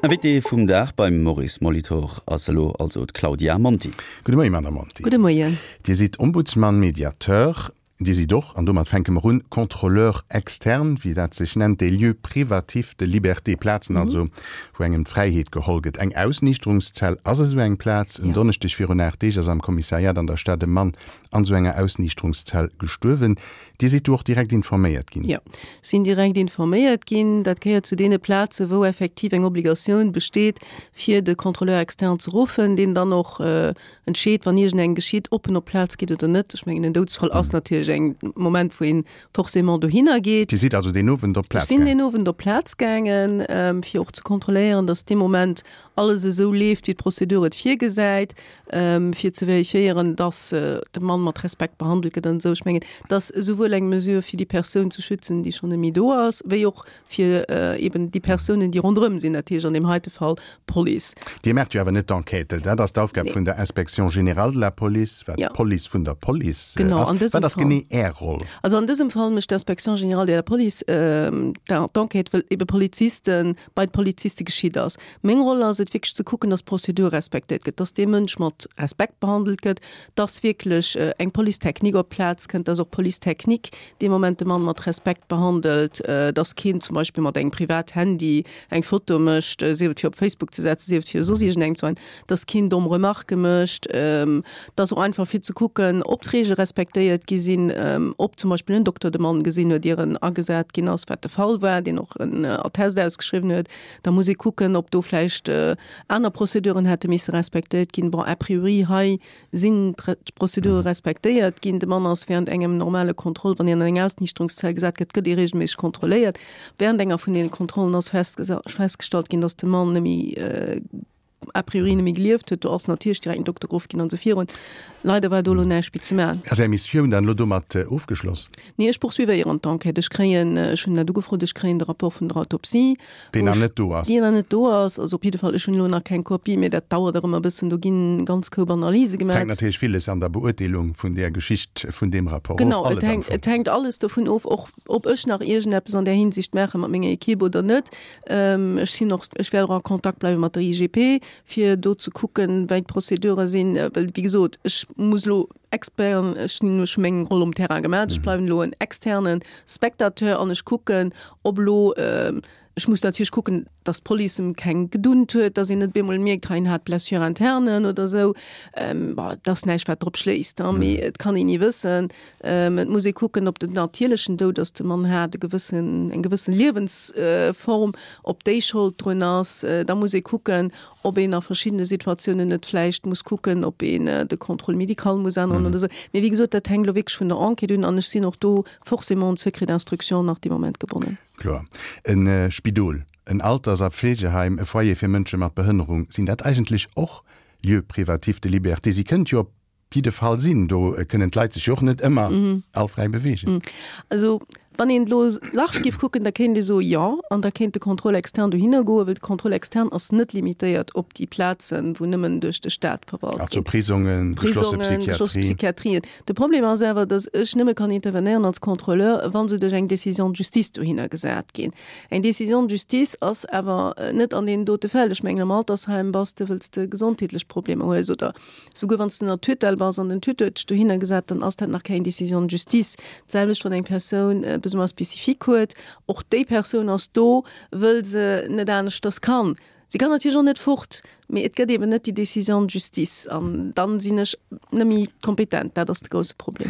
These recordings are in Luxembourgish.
Invité vum Dag beim Maurice Molitor ass elo also d'Claudia Monti. Gudde Moien, Madame Monti. Gudde Moien. Dir sidd Ombudsman, Mediateur. Dir sidd och, an domat fänke mer un, Contrôleur externe, wéi dat sech nennt, des lieux privatifs de liberté, Plazen also, wou engem d'Fräiheet geholl gëtt. Eng Ausniichterungszell ass esou eng Plaz. En Donneschdeg virun 8 Deeg ass am Kommissariat an der Stad e Mann an esou enger Ausniichterungszell gestuerwen. Dir sidd do och direkt informéiert ginn? Jo, ech sinn direkt informéiert ginn. Dat gehéiert zu deene Plazen, wou effektiv eng Obligatioun besteet, fir de Contrôleur externe ze ruffen, deen dann och entscheet, wann iergendeng geschitt, ob en op d'Plaz geet oder net. Ech mengen, en Doudsfall ass natierlech eng Moment, wou ee forcément dohinner geet. Dir sidd also deen Owend op d'Plaz gaangen? Ech sinn deen Owend op d'Plaz gaangen, fir och ze kontrolléieren, datt dee Moment alles esou leeft, wéi d'Prozedur et virgesäit, fir ze vérifiéieren, dass de Mann mat Respekt behandelt gëtt an esou. Ech mengen, et ass esouwuel eng Mesure, fir déi Persoun ze schützen, déi schonn net méi do ass, wéi och fir eben déi Persounen, déi ronderëm sinn, dat heescht an deem heite Fall d'Police. Dir maacht jo awer net d'Enquête, dat ass d'Aufgab vun der Inspection générale de la Police, wat d'Police vun der Police ass. Wat ass genee Är Roll? Also an dësem Fall mécht d'Inspection générale de la Police d'Enquête, wëll ebe Polizisten bei d'Poliziste geschitt ass. Meng Roll ass et wierklech ze kucken, dass d'Prozedur respektéiert gëtt, dass dee Mënsch mat Respekt behandelt gëtt, dass wierklech eng Police technique op d'Plaz kënnt, dass och d'Police technique dee Moment de Mann mat Respekt behandelt, dass keen zum Beispill mat engem Privathandy eng Foto mécht, sief et fir op Facebook ze setzen, sief et fir soss iergendengem ze weisen, dass keen domm Remarquë mécht, dass och einfach fir ze kucken, ob d'Reegele respektéiert gi sinn, ob zum Beispill en Dokter de Mann gesinn huet, ier en agesat ginn ass, wat de Fall war, deen och en Attest ausgeschriwwen huet. Da muss ee kucken, ob do vläicht aner Prozeduren hätte misse respektéiert ginn. Bon, a priori hei sinn d'Prozedure respektéiert ginn. De Mann ass während engem normale Contrôle, wann een an eng Ausniichterungszell gesat gëtt, gëtt ee regelméisseg kontrolléiert. Während enger vun deene Kontrollen ass festgestallt ginn, dass de Mann net méi a priori net méi gelieft huet. Do ass natierlech direkt en Dokter geruff ginn an esou virun. Leider war do elo näischt méi ze maachen. Ass Är Missioun dann elo domat ofgeschloss? Nee, ech poursuivéieren d'Enquête. Ech kréien, ech hunn dat ugefrot, ech kréien de Rapport vun der Autopsie. Deen nach net do ass. Deen nach net do ass. Also op jidde Fall, ech hunn elo nach keng Kopie, mee dat dauert och ëmmer e bëssen. Do ginn ganz Koup Analyse gemaach. Et hänkt natierlech villes an der Beurteelung vun där Geschicht, vun deem Rapport of. Genau, et hänkt, et hänkt alles dovun of, och ob ech nach iergendeppes an där Hinsicht maache mat menger Equipe oder net. Ech sinn och, ech wäert och a Kontakt bleiwe mat der IGP, fir do ze kucken, wéi d'Prozedure sinn. Well, wéi gesot, ech muss elo Expert, ech hunn elo scho meng Roll um Terrain gemaach, ech bleiwen elo en externe Spectateur an ech kucken, ob elo, ech muss natierlech kucken, datt d'Police em keng gedunnt huet, datt een net op eemol mierkt, hei en hat Blessure interne oder esou. Bon, et ass näischt, wat drop schléisst, mee et kann een ni wëssen. Et muss ee kucken, ob den natierlechen Doud ass, de Mann hat e gewëssen, eng gewëssen Liewensform, ob déi Schold drun ass. Da muss ee kucken, ob een a verschiddene Situatiounen net vläicht muss kucken, ob een de Contrôle médical muss änneren oder esou. Mee wéi gesot, dat hänkt elo wierklech vun der Enquête un an ech sinn och do forcément un d'Secret d'instruction nach dee Moment gebonnen. Kloer. E Spidol, en Alters a Pflegeheim, e Foyer fir Mënsche mat Behënnerung, sinn dat eigentlech och Lieux privatifs de liberté? Si kënnt jo op jidde Fall sinn. Do kënnen d'Leit sech jo och net ëmmer all fräi beweegen. Also wann een elo large géif kucken, da kéint ee soe jo, an da kéint de Contrôle externe dohinner goen, well de Contrôle externe ass net limitéiert op déi Plazen, wou nëmmen duerch de Staat verwalt ginn. Also Prisongen, geschlosse Prisongen, geschlosse Psychiatrien. De Problem ass awer, datt ech nëmme kann intervenéieren als Contrôleur, wa se duerch eng Décision de justice dohinner gesat ginn. Eng Décision de justice ass awer net an deenen dote Fäll. Ech mengen, am Altersheim bass de, wëlls de gesondheetlech Problemer hues oder Souguer wann s de ënner Tutelle bass an den Tuteur huet dech dohinner gesat, dann ass dat nach keng Décision de justice. D'selwecht wann eng Persoun e Besoin spécifique huet, och déi Persoun ass do, wëll se net aneschters kann. Si kann natierlech och net fort, mee et gëtt eben net déi Décision de justice an dann sinn ech net méi kompetent. Dat ass de grousse Problem.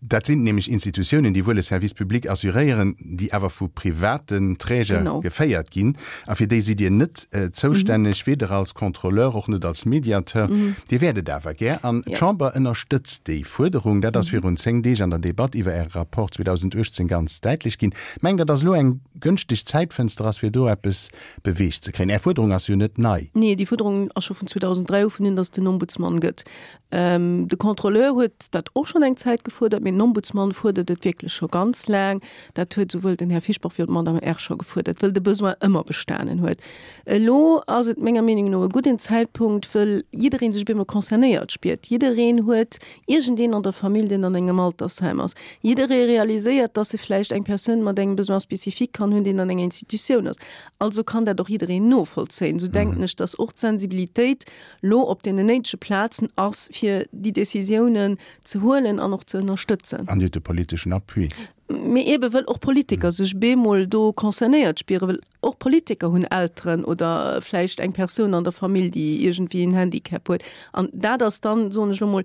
Dat sinn nämlech Institutiounen, déi wuel e Service public assuréieren, déi awer vu privaten Träger geféiert ginn. A fir déi sidd Dir net zoustänneg, weder als Contrôleur, och net als Mediateur. Dir wäert et awer gär. An d'Chamber ënnerstëtzt déi Fuerderung. Dat ass virun 10 Deeg an der Debatt iwwer Äre Rapport 2018 ganz däitlech ginn. Mengt Der, datt elo eng gënschteg Zäitfënster ass, fir do eppes beweegt ze kréien? Är Fuerderung ass jo net nei. Nee, déi Fuerderung. ass scho vun 2003 u vun un, datt et den Ombudsmann gëtt. De Contrôleur huet dat och schonn eng Zäit gefuerdert, mee den Ombudsmann fuerdert et wierklech scho ganz laang. Dat huet esouwuel den Här Fischbach wéi och d'Madame Err scho gefuerdert, wëll de Besoin ëmmer bestanen huet. Elo ass et menger Meenung no e gudden Zäitpunkt, wëll jidderee sech op eemol concernéiert spiert. Jiddereen huet iergendeen an der Famill, deen an engem Altersheim ass. Jidderee realiséiert, dass e vläicht eng Persoun mat engem Besoin spécifique kann hunn, deen an enger Institutioun ass. Also kann dat och jiddereen novollzéien. Esou denken ech, dass och d'Sensibilitéit lo op deenen néidege Plazen ass, fir déi Décisiounen ze huelen an och ze ënnerstëtzen. An Dir hutt de politeschen Appui. Mee eebe wëll och Politiker sech bemol do concernéiert spieren, well och Politiker hunn Elteren oder vläicht eng Persoun an der Famill, déi iergendwéi en Handicap huet. An dat ass dann, soen ech elo mol,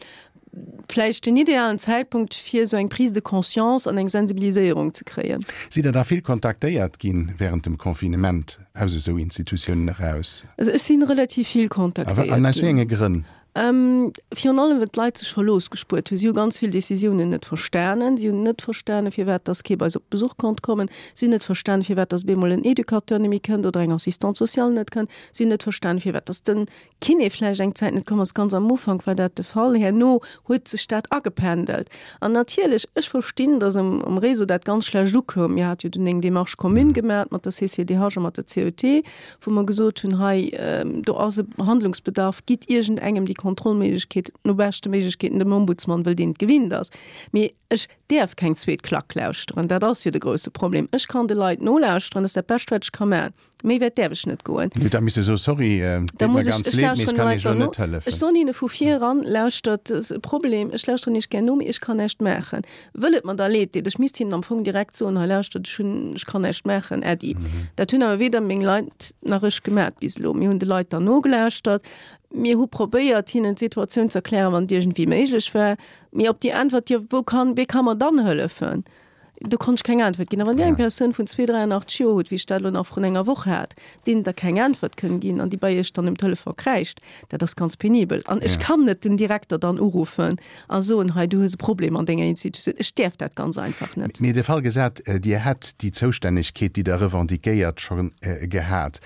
vläicht den idealen Zäitpunkt, fir esou eng Prise de conscience an eng Sensibiliséierung ze kréien. Sidd Der da vill kontaktéiert ginn während dem Confinement aus esou Institutiounen eraus? Also ech si relativ vill kontaktéiert ginn. An aus wéi enge Grënn? Virun allem, well d'Leit sech verlooss gespuert hunn. Si hu ganz vill Décisiounen net verstanen. Si hunn net verstanen, firwat dass kee bei se op Besuch konnt kommen. Si hunn net verstanen, firwat dass op eemol en Educateur net méi kënnt oder eng Assistante sociale net kënnt. Si hunn net verstanen, firwat dass den Kiné vläicht eng Zäit net komm ass. Ganz am Ufank war dat de Fall, herno huet sech dat agependelt. An natierlech, ech verstinn, dass um um Réseau dat ganz schlecht ukoum. Mir hate jo dunn eng Démarche commune gemaach mat der CCDH a mat der CET, wou mer gesot hunn, hei do ass e Handlungsbedarf, gitt iergendengem déi Kontrollméiglechkeet, no beschte Méiglechkeeten dem Ombudsmann, wëll deen et gewinnt ass. Mee ech däerf keng zweet Klack lauschteren, dat ass jo de grouse Problem. Ech kann de Leit nolauschteren, dat ass dat Bescht, wat ech ka maachen. Méi wäit däerf ech net goen. Dir hutt da misse soen, Sorry, deet mer ganz leed, mee ech kann Iech elo net hëllefen. Ech soen hinne vu vir eran, Lauschtert, et ass e Problem, ech lauschteren Iech gär no, mee ech kann näischt maachen. Wëll et mer da leed deet. Ech misst hinnen am Fong direkt soen, Hei lauschtert, ech hunn, ech kann näischt maachen, Äddi. Dat hunn awer weder meng Leit nach ech gemat bis elo. Mir hunn de Leit dann nogelauschtert. Mir hu probéiert, hinnen d'Situatioun ze erklären, wann et iergendwéi méiglech war. Mee op déi Äntwert, Jo, wou kann, wee ka mer dann hëllefen? Do konnt ech keng Äntwert ginn. A wann Dir eng Persoun vun 2, 83 Joer hutt, wéi ech dat elo nach vrun enger Woch hat, deenen Der keng Äntwert kënnt ginn an déi bei Iech dann um Telefon kräischt, dat ass ganz penibel. An ech kann net den Direkter dann uruffen a soen, hei du hues e Problem an denger Institutioun. Ech däerf dat ganz einfach net. Mee de Fall gesat, Dir hätt déi Zoustännegkeet, déi Der revendiquéiert, scho gehat.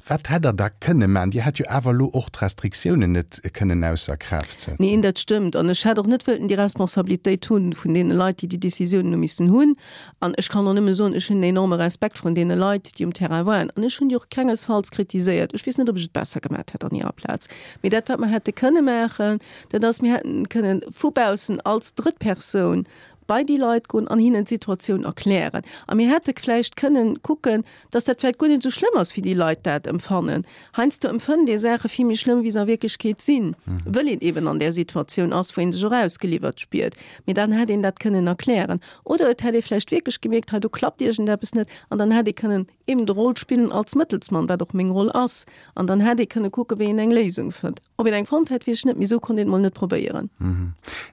Wat hätt Der da kënne maachen? Dir hätt jo awer elo och d'Restriktiounen net kënnen ausser Kraaft setzen. Neen, dat stëmmt. An ech hätt och net wëllten déi Responsabilitéit hunn vun deene Leit, déi déi Décisiounen hu missen hunn. An ech kann och nëmme soen, ech hunn en enorme Respekt vrun deene Leit, déi um Terrain waren. An ech hunn déi och kengesfalls kritiséiert. Ech weess net, ob ech et besser gemat hätt an hirer Plaz. Mee dat, wat mer hätte kënne maachen, dat ass, mir hätten kënnen vu baussen als Drëttpersoun bei déi Leit goen an hinnen d'Situatioun erklären. A mir hätte vläicht kënnen kucken, dass dat vläicht guer net esou schlëmm ass, wéi déi Leit dat empfannen. Heiansdo empfënnt ee Saache vill méi schlëmm, wéi se a Wierklechkeet sinn, wëll een eben an där Situatioun ass, wou ee sech och ausgeliwwert spiert. Mee dann hätt een dat kënnen erklären. Oder et hätt ee vläicht wierklech gemierkt, hei do klappt iergendeppes net, an dann hätt ee kënnen eben de Roll spillen als Mëttelsmann, wat och meng Roll ass, an dann hätt ee kënne kucken, wéi een eng Léisung fënnt. Ob een eng fonnt hätt, weess ech net, mee esou konnt een et mol net probéieren.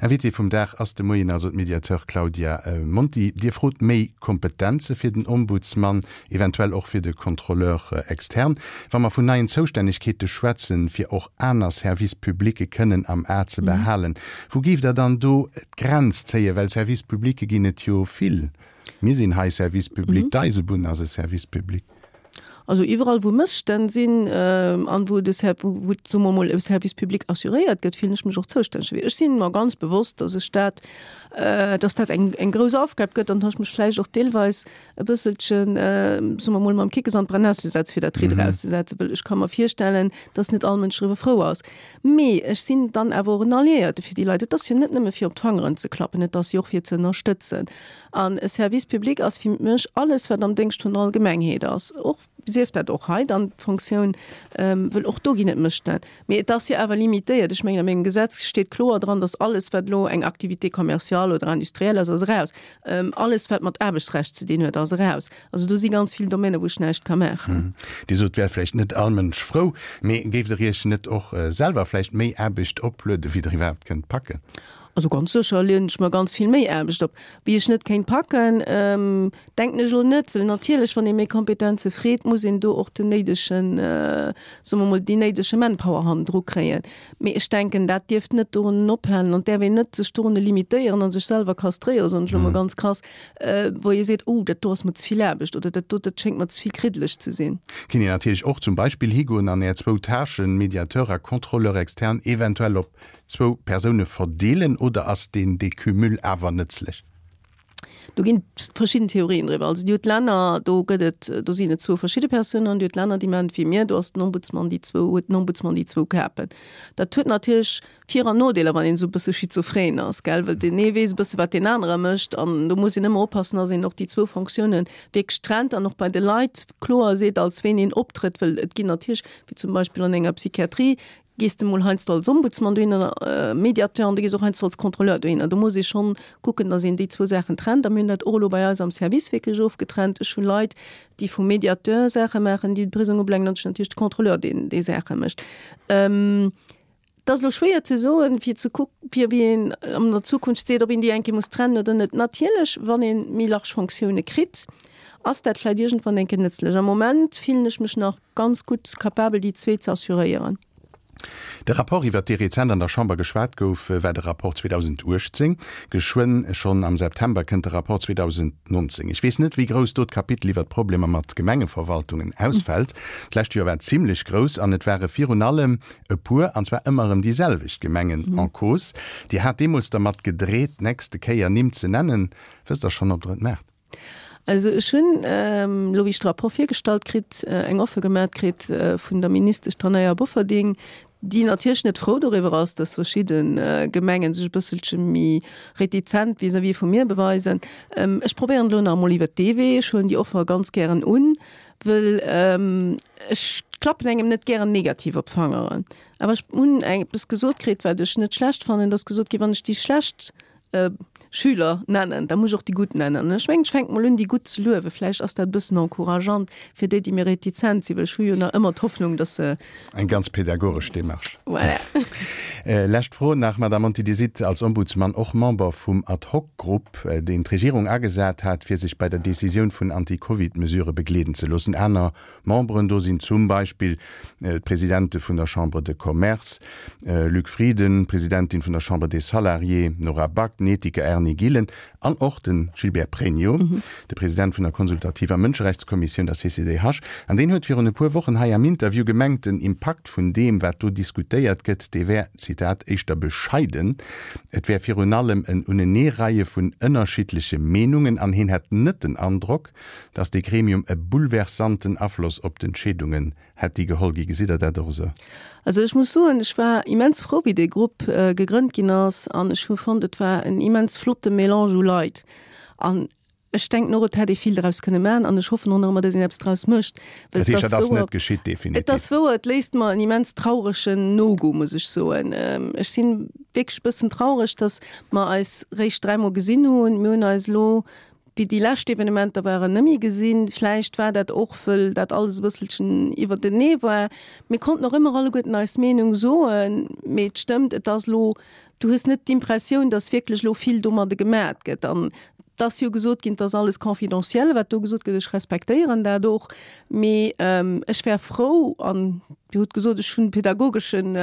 Invitée vum Dag ass de Moien also d'Mediateur Claudia Monti. Dir frot méi Kompetenze fir den Ombudsmann, eventuell och fir de Contrôleur externe. Wa mer vun neien Zoustännegkeete schwätzen, fir och aner Services publicë kënnen am A ze behalen, wou géift Der dann do d'Grenz zéien? Well Services publicë ginn et jo vill. Mir sinn hei Service public, d'Eisebunn ass e Service public. Also iwwerall wou Mësstänn sinn an wou de Ser wou wou soe mer emol e Service public assuréiert gëtt, fillen ech mech och zoustänneg dofir. Ech sinn mer ganz bewosst, datt ech dat, datt dat eng eng grouss Aufgab gëtt an datt ech mech vläicht och deelweis e bësselchen, soe mer emol, mam Kickes an d'Brennessel setze fir dat Ridd erauszesetzen, wëll ech ka mer virstellen, datt net all Mënsch driwwer frou ass. Mee ech sinn dann awer och en Alliéierte fir déi Leit. Et ass jo net nëmme fir op d'Fangeren ze klappen, et ass jo och fir ze ënnerstëtzen. An e Service public ass fir mech alles, wat am Déngscht vun der Allgemengheet ass, och, sief dat och hei dann d'Fonctioun, wëll och do ginn et Mësstänn. Mee et ass jo awer limitéiert. Ech mengen, a mengem Gesetz steet kloer dran, dass alles, wat elo eng Activité commerciale oder industrielle ass, ass eraus. Alles, wat mat Aarbechtsrecht ze dinn huet, ass eraus. Also do si ganz vill Domänen, wou ech näischt ka maachen. Dir sot, et wär vläicht net all Mënsch frou. Mee géift Der Iech net och selwer vläicht méi Aarbecht oplueden, wéi Der iwwerhaapt kënnt packen? Also ganz sécher leeën ech mer ganz vill méi Aarbecht op, wéi ech net kéint packen, denken ech elo net, well natierlech, wann ee méi Kompetenze freet, muss een do och den néidegen, soe mer mol, déi néidege Manpower hannendru kréien. Mee ech denken, dat dierft net dorunnen ophalen an däerf een net sech dorunne limitéieren a sech selwer kastréieren, soen ech elo mol ganz krass, wou ee seet, oh, dat do ass mer ze vill Aarbecht oder dat do, dat schéngt mer ze vill kriddeleg ze sinn. Kéint een natierlech och zum Beispill higoen an Är zwou Tâchen, Médiateur a Contrôleur externe, eventuell op zwou Persoune verdeelen oder ass deen Decumul awer nëtzlech? Do ginn et verschidden Theorien driwwer. Also Dir hutt Länner, do gëtt et, do sinn et zwou verschidde Persounen an Dir hutt Länner, déi maachen et wéi mir, do ass den Ombudsman déi zwou, huet den Ombudsman déi zwou Kapen. Dat huet natierlech Vir an Nodeeler, wann een esou e bësse schizophren ass, gell, well deen ee weess e bësse wat deen anere mécht an do muss een ëmmer oppassen, datt een och déi zwou Fonctiounen wierklech trennt an och bei de Leit kloer seet, als ween een optrëtt, well et ginn natierlech, wéi zum Beispill an enger Psychiatrie, gees de mol heiansdo als Ombudsman dohinner, Mediateur, an du gees och heiansdo als Contrôleur dohinner. Do muss ee schonn kucken, datt een déi zwou Saachen trennt. A mir hunn dat och elo bei eis am Service wierklech ofgetrennt. Ech hu Leit, déi vum Mediateur Saache maachen, déi de Prisong ubelaangen, an ech hunn natierlech de Contrôleur, deen déi Saache mécht. Et ass elo schwéier ze soen, fir ze kuck, fir wéi een an der Zukunft seet, ob een déi eng Kéier muss trennen oder net. Natierlech, wann ee méi large Fonctioune kritt, ass dat vläicht iergendwann eng Kéier nëtzlech. Am Moment fillen ech mech nach ganz gutt capabel déi zwee ze assuréieren. De Rapport, iwwert dee rezent an der Chamber geschwat gouf, war de Rapport 2018. Geschwënn, schonn am September, kënnt de Rapport 2019. Ech weess net, wéi grouss do d'Kapitel iwwert d'Problemer mat Gemengeverwaltungen ausfält. D'lescht Joer war et zimlech grouss an et ware virun allem e puer, an zwar ëmmer erëm déi selwecht Gemengen en cause. Dir hat deemools dermat gedreet, d'nächste Kéier Nimm ze nennen. Wësst Der schonn, ob Der et maacht? Also ech hunn elo, wéi ech de Rapport virgestallt kritt, eng Offer gemat kritt vun der Ministesch Tanaja Bofferding, déi natierlech net frou doriwwer ass, dass verschidde Gemengen sech e bësselche méi retizent vis-à-vis vu mir beweisen. Ech probéieren elo nach emol iwwert dee Wee. Ech huelen déi Offer ganz gären un, wëll ech klappen engem net gären negativ op d'Fangeren. Awer ech hunn eppes gesot kritt, wat ech net schlecht fannen, et ass gesot ginn, wann ech déi schlecht Schüler nennen, da muss ech och déi gutt nennen. An ech mengen, ech fänke mol un, déi gutt ze luewen. Vläicht ass dat e bëssen encourageant fir déi, déi méi retizent sinn, well ech hu jo nach ëmmer d'Hoffnung, dass se. Eng ganz pädagogesch Démarche. Voilà. Lescht Fro nach, Madame Monti, Dir sidd als Ombudsman och Member vum Ad-hoc-Grupp, deen d'Regierung agesat hat, fir sech bei der Decisioun vun Anti-Covid-Mesurë begleeden ze loossen. Aner Memberen do sinn zum Beispill d'Presidente vun der Chambre de Commerce, Luc Frieden, d'Presidentin vun der Chambre des Salariés, Nora Back, den Ethiker Erny Gillen an och de Gilbert Pregno, de President vun der konsultativer Mënscherechtskommissioun, der CCDH. An deen huet virun e puer Wochen hei am Interview gemengt, den Impakt vun deem, wat do diskutéiert gëtt, dee wär, Zitat, éischter bescheiden. Et wär virun allem en Uneneereie vun ënnerschiddleche Meenungen an hien hätt net den Androck, Dass dee Gremium e bouleversanten Afloss op d'Entscheedungen hätt, déi geholl gi. Gesitt Der dat och esou? Also ech muss soen, ech war immens frou, wéi dee Grupp gegrënnt ginn ass an ech hu fonnt, et war en immens flotte Mélange u Leit. An ech denken och, et hätt ee vill draus kënne maachen an ech hoffen och nach ëmmer, dass een eppes draus mécht. Well et ass wouer, net geschitt, definitiv. Et ass wouer, et léisst mer en immens trauregen Nogoût, muss ech soen. Ech si wierklech e bëssen traureg, dass mer eis réischt dräimol gesinn hunn. Mir hunn eis elo Wéi déi lescht Evenementer waren, nëmme gesinn. Vläicht war dat och, wëll dat alles e bësselchen iwwertenee war. Mir konnten och ëmmer alleguerten eis Meenung soen, mee et stëmmt, et ass elo, du hues net d'Impressioun, datt wierklech elo vill domadde gemat gëtt. An et ass jo gesot ginn, et ass alles confidentiel, wat do gesot gëtt. Ech respektéieren dat och, mee ech wär frou, an Dir hutt gesot, ech hunn e pädagogeschen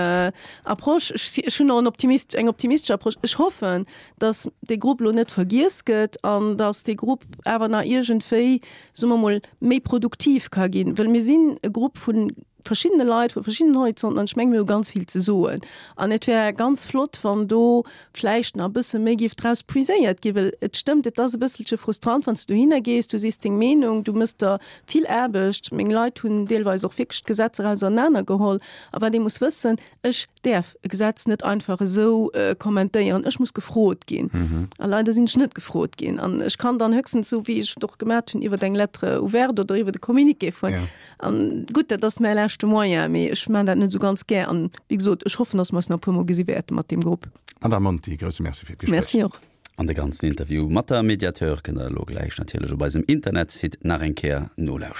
Approche, ech hunn och en optimist, eng optimistesch Approche, ech hoffen, dass dee Grupp elo net vergiess gëtt an dass dee Grupp awer nach iergendwéi, soe mer emol, méi produktiv ka ginn. Well mir sinn e Grupp vu verschiddene Leit, vu verschiddenen Horizonten an ech menge mir hu ganz vill ze soen. An et wär ganz flott, wann do vläicht nach e bësse méi géif draus puiséiert ginn. Well et stëmmt, et ass e bësselche frustrant, wann s de dohinner gees, du sees deng Meenung, du méchs der vill Aarbecht. Meng Leit hunn deelweis och wierklech d'Gesetzer ausernanergeholl. A wat ee muss wëssen, Ech däerf e Gesetz net einfach esou kommentéieren. Ech muss gefrot ginn. A leider sinn ech net gefrot ginn. An ech kann dann höchstens, esou wéi ech et och gemat hunn, iwwer eng Lettre ouverte oder iwwer e Communiqué fueren. An gutt, dat ass mäi leschte Moyen, mee ech maachen dat net esou ganz gär. An wéi gesot, ech hoffen, datt mer eis nach e puermol gesi wäerte mat deem Grupp. Madame Monti, grousse Merci fir d'Gespréich. Merci och. An de ganzen Interview mat der Mediateur kënnt der elo gläich natierlech op eisem Internetsite nach eng Kéier nolauschteren.